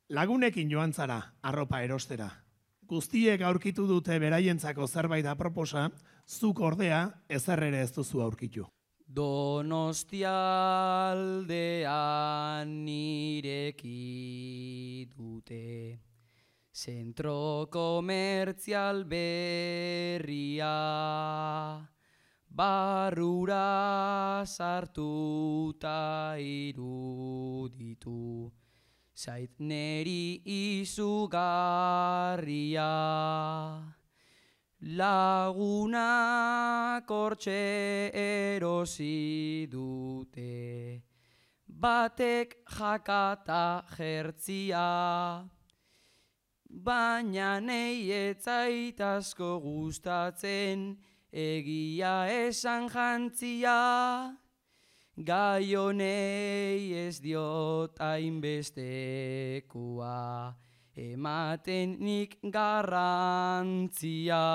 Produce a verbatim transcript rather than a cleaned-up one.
Lagunekin joan zara, arropa erostera. Guztiek aurkitu dute beraientzako zerbait aproposa, zuk ordea ezer ere ez duzu aurkitu. Donostialdean ireki dute, zentro komertzial berria, barrura sartuta iruditu, zait neri izugarria. Lagunak hortxe erosi dute, batek jakata jertzia, baina nei ez zait asko gustatzen egia esan jantzia. Gai honei ez diot hainbestekua, ematen nik garrantzia.